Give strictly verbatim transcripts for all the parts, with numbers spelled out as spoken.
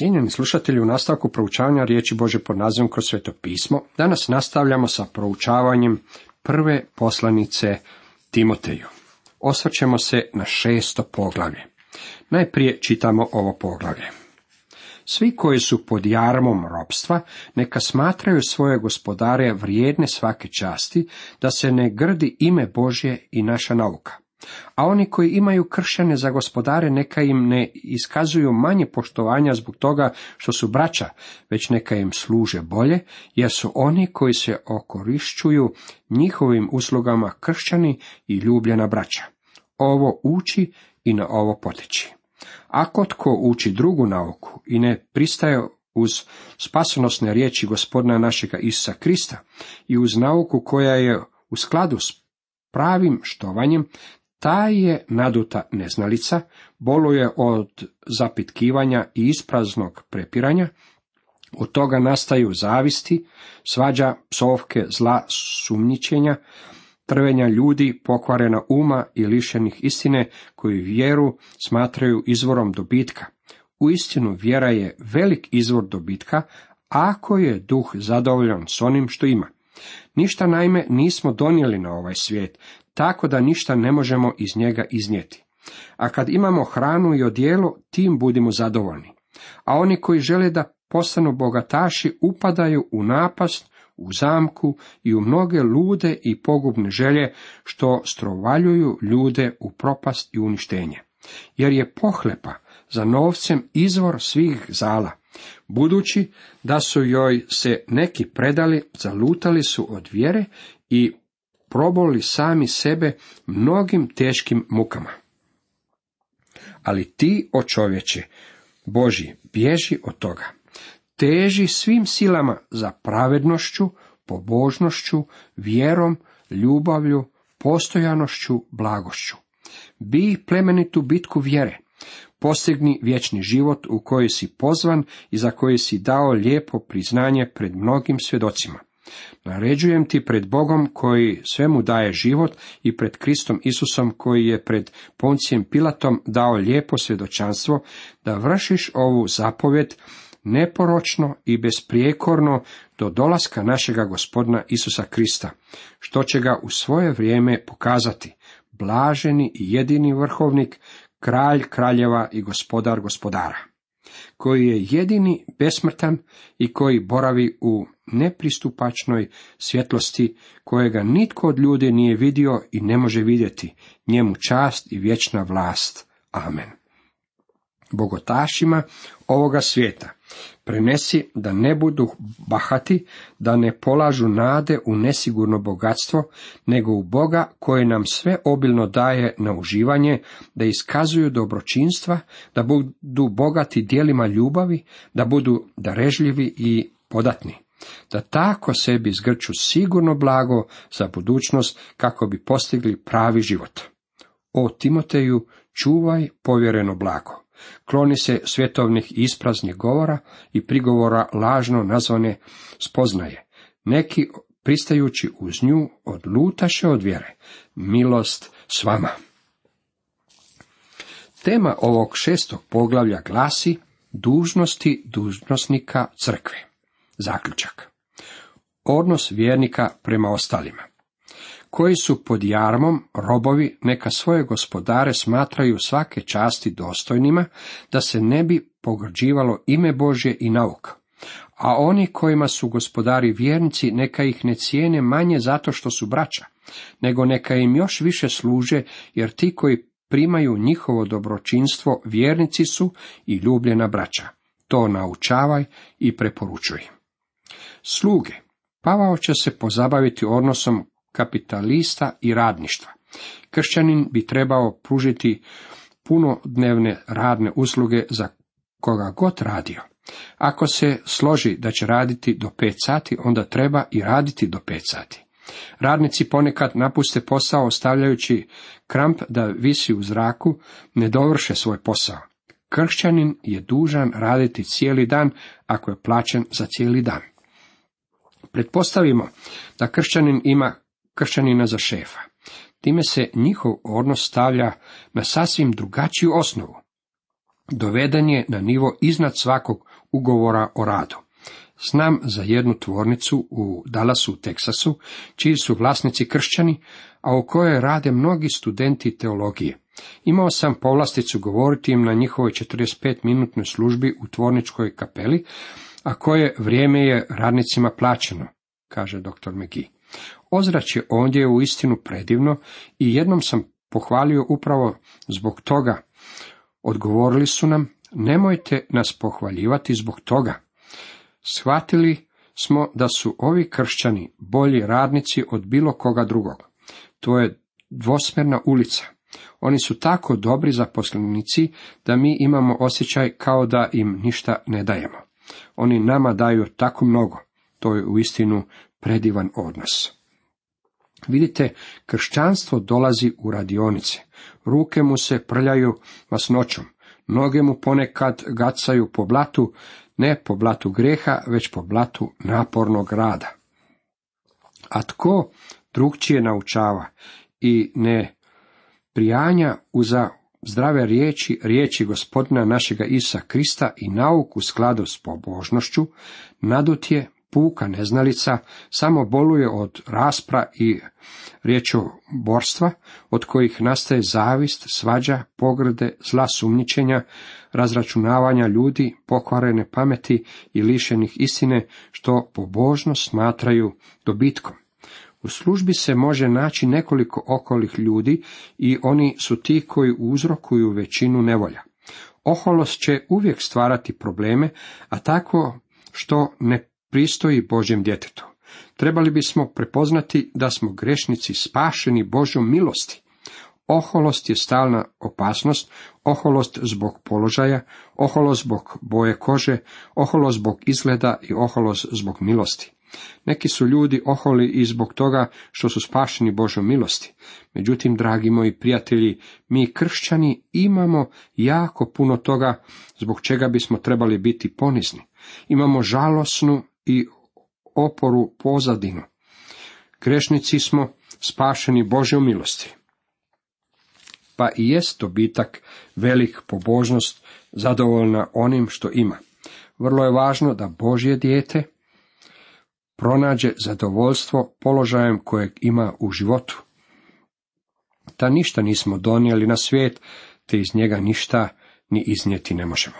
Cijenjeni slušatelji, u nastavku proučavanja riječi Božje pod nazivom Kroz Sveto pismo, danas nastavljamo sa proučavanjem prve poslanice Timoteju. Osvrćemo se na šesto poglavlje. Najprije čitamo ovo poglavlje. Svi koji su pod jarmom ropstva, neka smatraju svoje gospodare vrijedne svake časti, da se ne grdi ime Božje i naša nauka. A oni koji imaju kršćane za gospodare, neka im ne iskazuju manje poštovanja zbog toga što su braća, već neka im služe bolje, jer su oni koji se okorišćuju njihovim uslugama kršćani i ljubljena braća. Ovo uči i na ovo potiči. Ako tko uči drugu nauku i ne pristaje uz spasonosne riječi Gospodina našega Isusa Krista i uz nauku koja je u skladu s pravim štovanjem, ta je naduta neznalica, boluje od zapitkivanja i ispraznog prepiranja, od toga nastaju zavisti, svađa, psovke, zla, sumnjičenja, trvenja ljudi, pokvarena uma i lišenih istine, koji vjeru smatraju izvorom dobitka. Uistinu vjera je velik izvor dobitka, ako je duh zadovoljan s onim što ima. Ništa naime nismo donijeli na ovaj svijet, tako da ništa ne možemo iz njega iznijeti. A kad imamo hranu i odijelo, tim budimo zadovoljni. A oni koji žele da postanu bogataši upadaju u napast, u zamku i u mnoge lude i pogubne želje, što strovaljuju ljude u propast i uništenje. Jer je pohlepa za novcem izvor svih zala. Budući da su joj se neki predali, zalutali su od vjere i proboli sami sebe mnogim teškim mukama. Ali ti, o čovječe Božji, bježi od toga. Teži svim silama za pravednošću, pobožnošću, vjerom, ljubavlju, postojanošću, blagošću. Bij plemenitu bitku vjere. Postigni vječni život u koji si pozvan i za koji si dao lijepo priznanje pred mnogim svjedocima. Naređujem ti pred Bogom koji svemu daje život i pred Kristom Isusom koji je pred Poncijem Pilatom dao lijepo svjedočanstvo, da vršiš ovu zapovjed neporočno i besprijekorno do dolaska našega Gospodina Isusa Krista, što će ga u svoje vrijeme pokazati, blaženi i jedini vrhovnik, kralj kraljeva i gospodar gospodara, koji je jedini besmrtan i koji boravi u nepristupačnoj svjetlosti, kojega nitko od ljudi nije vidio i ne može vidjeti, njemu čast i vječna vlast. Amen. Bogotašima ovoga svijeta prenesi da ne budu bahati, da ne polažu nade u nesigurno bogatstvo, nego u Boga koji nam sve obilno daje na uživanje, da iskazuju dobročinstva, da budu bogati djelima ljubavi, da budu darežljivi i podatni, da tako sebi zgrču sigurno blago za budućnost kako bi postigli pravi život. O Timoteju, čuvaj povjereno blago. Kloni se svjetovnih ispraznih govora i prigovora lažno nazvane spoznaje. Neki, pristajući uz nju, odlutaše od vjere. Milost s vama. Tema ovog šestog poglavlja glasi dužnosti dužnosnika crkve. Zaključak. Odnos vjernika prema ostalima. Koji su pod jarmom robovi, neka svoje gospodare smatraju svake časti dostojnima, da se ne bi pogrđivalo ime Božje i nauka. A oni kojima su gospodari vjernici, neka ih ne cijene manje zato što su braća, nego neka im još više služe, jer ti koji primaju njihovo dobročinstvo vjernici su i ljubljena braća. To naučavaj i preporučuj. Sluge. Pavao će se pozabaviti odnosom kapitalista i radništva. Kršćanin bi trebao pružiti punodnevne radne usluge za koga god radio. Ako se složi da će raditi do pet sati, onda treba i raditi do pet sati. Radnici ponekad napuste posao ostavljajući kramp da visi u zraku, ne dovrše svoj posao. Kršćanin je dužan raditi cijeli dan ako je plaćen za cijeli dan. Pretpostavimo da kršćanin ima kršćanina za šefa. Time se njihov odnos stavlja na sasvim drugačiju osnovu. doveden je na nivo iznad svakog ugovora o radu. Znam za jednu tvornicu u Dallasu, Teksasu, čiji su vlasnici kršćani, a u kojoj rade mnogi studenti teologije. Imao sam povlasticu govoriti im na njihovoj četrdeset pet minutnoj službi u tvorničkoj kapeli, a koje vrijeme je radnicima plaćeno, kaže doktor McGee. Ozračje ondje je uistinu predivno i jednom sam pohvalio upravo zbog toga. Odgovorili su nam, nemojte nas pohvaljivati zbog toga. Shvatili smo da su ovi kršćani bolji radnici od bilo koga drugog. To je dvosmjerna ulica. Oni su tako dobri zaposlenici da mi imamo osjećaj kao da im ništa ne dajemo. Oni nama daju tako mnogo. To je uistinu predivan odnos. Vidite, kršćanstvo dolazi u radionice. Ruke mu se prljaju masnoćom. Noge mu ponekad gacaju po blatu, ne po blatu grijeha, već po blatu napornog rada. A tko drugčije naučava i ne prijanja uza zdrave riječi, riječi Gospodina našega Isusa Krista i nauku u skladu s pobožnošću, nadut je, puka neznalica, samo boluje od raspra i riječoborstva, od kojih nastaje zavist, svađa, pogrde, zla sumnjičenja, razračunavanja ljudi, pokvarene pameti i lišenih istine, što pobožnost smatraju dobitkom. U službi se može naći nekoliko okolih ljudi i oni su ti koji uzrokuju većinu nevolja. Oholost će uvijek stvarati probleme, a tako što ne pristoji Božjem djetetu. Trebali bismo prepoznati da smo grešnici spašeni Božjom milosti. Oholost je stalna opasnost, oholost zbog položaja, oholost zbog boje kože, oholost zbog izgleda i oholost zbog milosti. Neki su ljudi oholi i zbog toga što su spašeni Božjom milosti. Međutim, dragi moji prijatelji, mi kršćani imamo jako puno toga zbog čega bismo trebali biti ponizni. Imamo žalosnu i oporu pozadinu. Grešnici smo spašeni Božjom milosti. Pa i jest dobitak velik pobožnost zadovoljna onim što ima. Vrlo je važno da Božje dijete pronađe zadovoljstvo položajem kojeg ima u životu. Da ništa nismo donijeli na svijet, te iz njega ništa ni iznijeti ne možemo.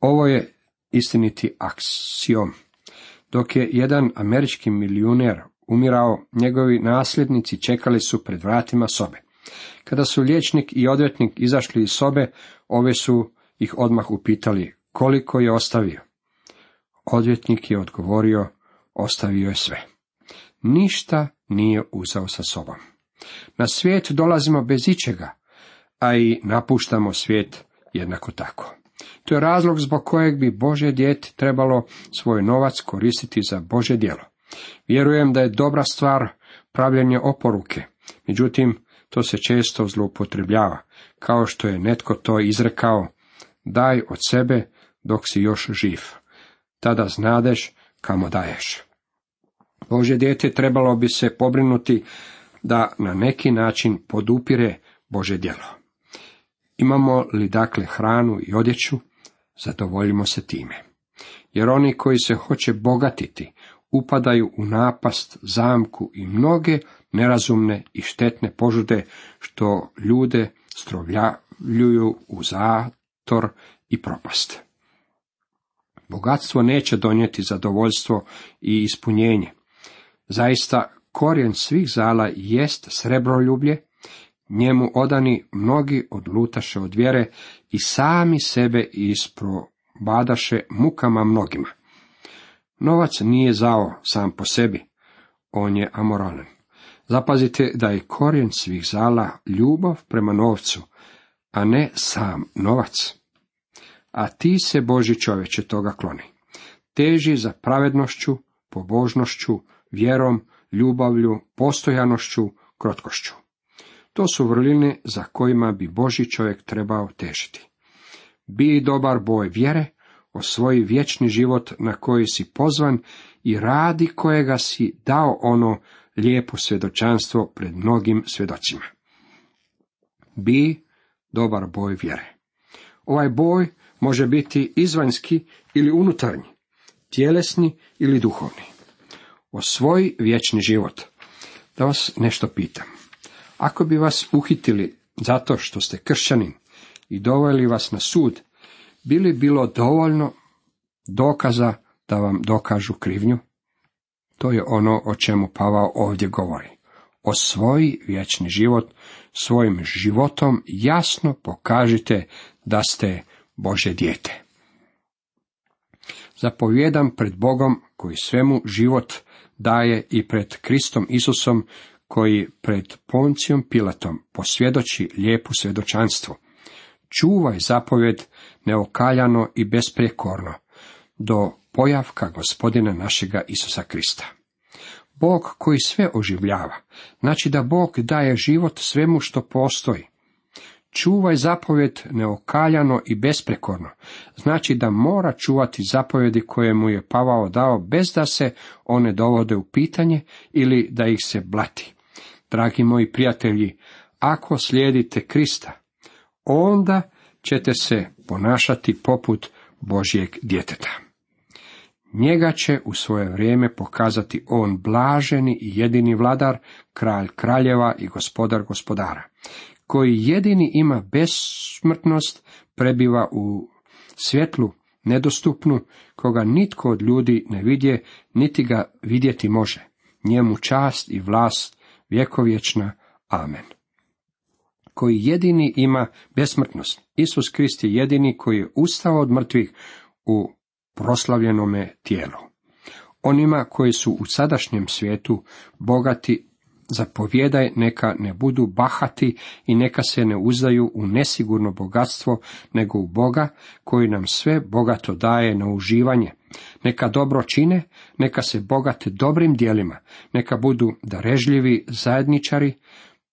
Ovo je istiniti aksiom. Dok je jedan američki milijuner umirao, njegovi nasljednici čekali su pred vratima sobe. Kada su liječnik i odvjetnik izašli iz sobe, ove su ih odmah upitali koliko je ostavio. Odvjetnik je odgovorio, ostavio je sve. Ništa nije uzeo sa sobom. Na svijet dolazimo bez ičega, a i napuštamo svijet jednako tako. To je razlog zbog kojeg bi Božje dijete trebalo svoj novac koristiti za Božje djelo. Vjerujem da je dobra stvar pravljenje oporuke, međutim, to se često zloupotrebljava, kao što je netko to izrekao, daj od sebe dok si još živ, tada znadeš kamo daješ. Božje dijete trebalo bi se pobrinuti da na neki način podupire Božje djelo. Imamo li dakle hranu i odjeću, zadovoljimo se time. Jer oni koji se hoće bogatiti, upadaju u napast, zamku i mnoge nerazumne i štetne požude, što ljude strovljuju u zator i propast. Bogatstvo neće donijeti zadovoljstvo i ispunjenje. Zaista, korijen svih zala jest srebroljublje, njemu odani mnogi odlutaše od vjere i sami sebe isprobadaše mukama mnogima. Novac nije zao sam po sebi, on je amoralan. Zapazite da je korijen svih zala ljubav prema novcu, a ne sam novac. A ti se, Božji čovječe, toga kloni. Teži za pravednošću, pobožnošću, vjerom, ljubavlju, postojanošću, krotkošću. To su vrline za kojima bi Božji čovjek trebao težiti. Bi dobar boj vjere, osvoji vječni život na koji si pozvan i radi kojega si dao ono lijepo svjedočanstvo pred mnogim svjedocima. Bi dobar boj vjere. Ovaj boj može biti izvanjski ili unutarnji, tjelesni ili duhovni. Osvoji vječni život. Da vas nešto pitam. Ako bi vas uhitili zato što ste kršćanin i doveli vas na sud, bi li bilo dovoljno dokaza da vam dokažu krivnju? To je ono o čemu Pavao ovdje govori. Osvoji vječni život, svojim životom jasno pokažite da ste Božje dijete. Zapovjedam pred Bogom koji svemu život daje i pred Kristom Isusom koji pred Poncijom Pilatom posvjedoči lijepu svjedočanstvu. Čuvaj zapovjed neokaljano i besprijekorno do pojavka Gospodina našega Isusa Krista. Bog koji sve oživljava, znači da Bog daje život svemu što postoji. Čuvaj zapovjed neokaljano i besprekorno, znači da mora čuvati zapovjedi koje mu je Pavao dao bez da se one dovode u pitanje ili da ih se blati. Dragi moji prijatelji, ako slijedite Krista, onda ćete se ponašati poput Božjeg djeteta. Njega će u svoje vrijeme pokazati on blaženi i jedini vladar, kralj kraljeva i gospodar gospodara, koji jedini ima besmrtnost, prebiva u svjetlu nedostupnu, koga nitko od ljudi ne vidje, niti ga vidjeti može. Njemu čast i vlast vjekovječna. Amen. Koji jedini ima besmrtnost. Isus Krist je jedini koji je ustao od mrtvih u proslavljenome tijelu. Onima koji su u sadašnjem svijetu bogati zapovjedaj neka ne budu bahati i neka se ne uzdaju u nesigurno bogatstvo, nego u Boga koji nam sve bogato daje na uživanje. Neka dobro čine, neka se bogate dobrim djelima, neka budu darežljivi zajedničari,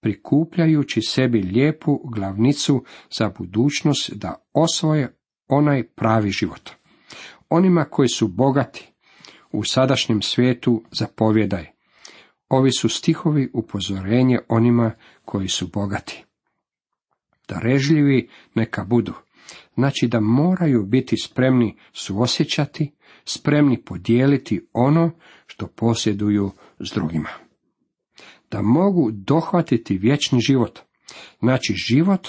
prikupljajući sebi lijepu glavnicu za budućnost da osvoje onaj pravi život. Onima koji su bogati u sadašnjem svijetu zapovjedaj. Ovi su stihovi upozorenje onima koji su bogati. Darežljivi neka budu, znači da moraju biti spremni suosjećati, spremni podijeliti ono što posjeduju s drugima. Da mogu dohvatiti vječni život, znači život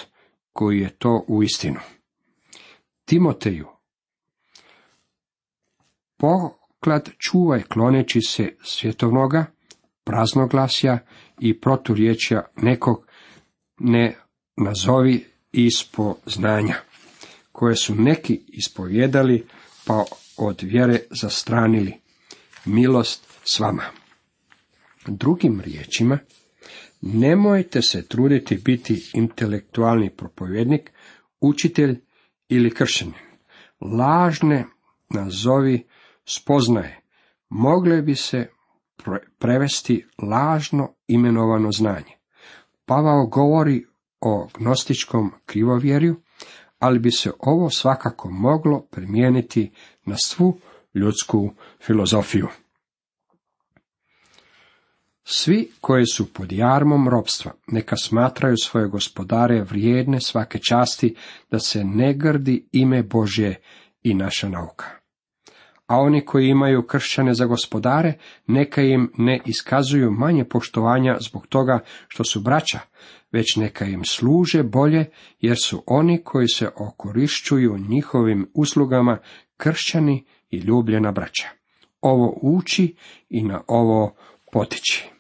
koji je to uistinu. Timoteju, poklad čuvaj kloneći se svjetovnoga, praznoglasja i proturječja nekog ne nazovi ispo znanja, koje su neki ispovjedali pa od vjere zastranili. Milost s vama. Drugim riječima, nemojte se truditi biti intelektualni propovjednik, učitelj ili kršćanin. Lažne nazovi spoznaje mogle bi se prevesti lažno imenovano znanje. Pavao govori o gnostičkom krivovjerju, ali bi se ovo svakako moglo primijeniti na svu ljudsku filozofiju. Svi koji su pod jarmom ropstva, neka smatraju svoje gospodare vrijedne svake časti, da se ne grdi ime Božje i naša nauka. A oni koji imaju kršćane za gospodare, neka im ne iskazuju manje poštovanja zbog toga što su braća, već neka im služe bolje, jer su oni koji se okorišćuju njihovim uslugama kršćani i ljubljena braća. Ovo uči i na ovo potiči.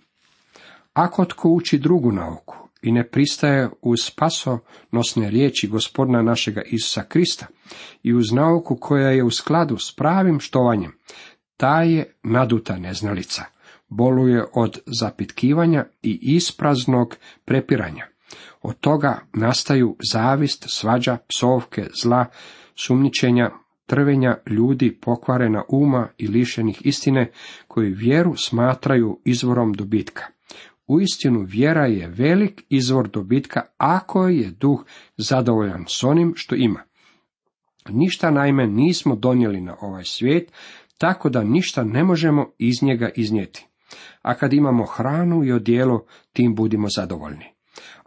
Ako tko uči drugu nauku i ne pristaje uz spasonosne riječi Gospodina našega Isusa Krista i uz nauku koja je u skladu s pravim štovanjem, ta je naduta neznalica, boluje od zapitkivanja i ispraznog prepiranja. Od toga nastaju zavist, svađa, psovke, zla, sumnjičenja, trvenja ljudi pokvarena uma i lišenih istine, koji vjeru smatraju izvorom dobitka. Uistinu vjera je velik izvor dobitka ako je duh zadovoljan s onim što ima. Ništa naime nismo donijeli na ovaj svijet, tako da ništa ne možemo iz njega iznijeti. A kad imamo hranu i odijelo, tim budimo zadovoljni.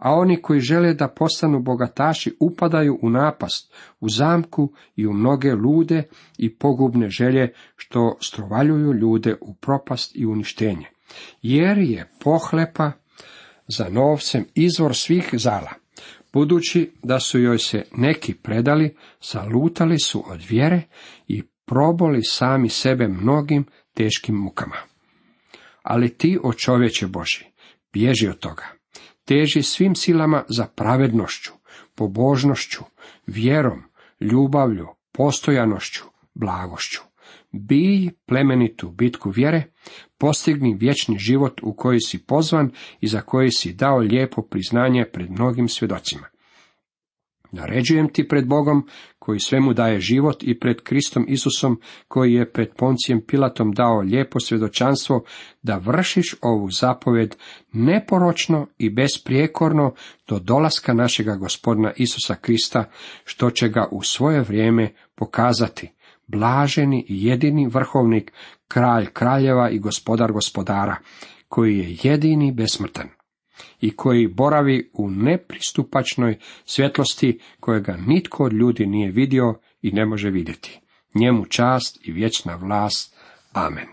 a oni koji žele da postanu bogataši upadaju u napast, u zamku i u mnoge lude i pogubne želje, što strovaljuju ljude u propast i uništenje. Jer je pohlepa za novcem izvor svih zala. Budući da su joj se neki predali, zalutali su od vjere i proboli sami sebe mnogim teškim mukama. Ali ti, o čovječe Božji, bježi od toga. Teži svim silama za pravednošću, pobožnošću, vjerom, ljubavlju, postojanošću, blagošću. Bij plemenitu bitku vjere, postigni vječni život u koji si pozvan i za koji si dao lijepo priznanje pred mnogim svjedocima. Naređujem ti pred Bogom, koji svemu daje život, i pred Kristom Isusom, koji je pred Poncijem Pilatom dao lijepo svjedočanstvo, da vršiš ovu zapovjed neporočno i besprijekorno do dolaska našega Gospodina Isusa Krista, što će ga u svoje vrijeme pokazati, blaženi i jedini vrhovnik, kralj kraljeva i gospodar gospodara, koji je jedini besmrtan i koji boravi u nepristupačnoj svjetlosti, kojega nitko od ljudi nije vidio i ne može vidjeti. Njemu čast i vječna vlast. Amen.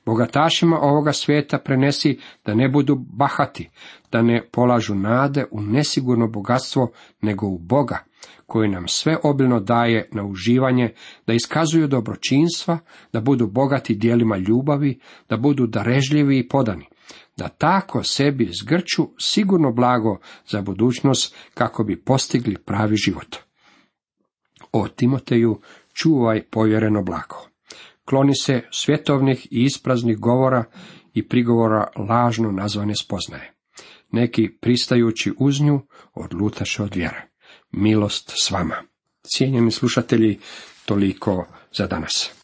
Bogatašima ovoga svijeta prenesi da ne budu bahati, da ne polažu nade u nesigurno bogatstvo, nego u Boga, koji nam sve obilno daje na uživanje, da iskazuju dobročinstva, da budu bogati djelima ljubavi, da budu darežljivi i podani, da tako sebi zgrču sigurno blago za budućnost, kako bi postigli pravi život. O Timoteju, čuvaj povjereno blago. Kloni se svjetovnih i ispraznih govora i prigovora lažno nazvane spoznaje. Neki pristajući uz nju odlutaše od vjere. Milost s vama. Cijenjeni slušatelji, toliko za danas.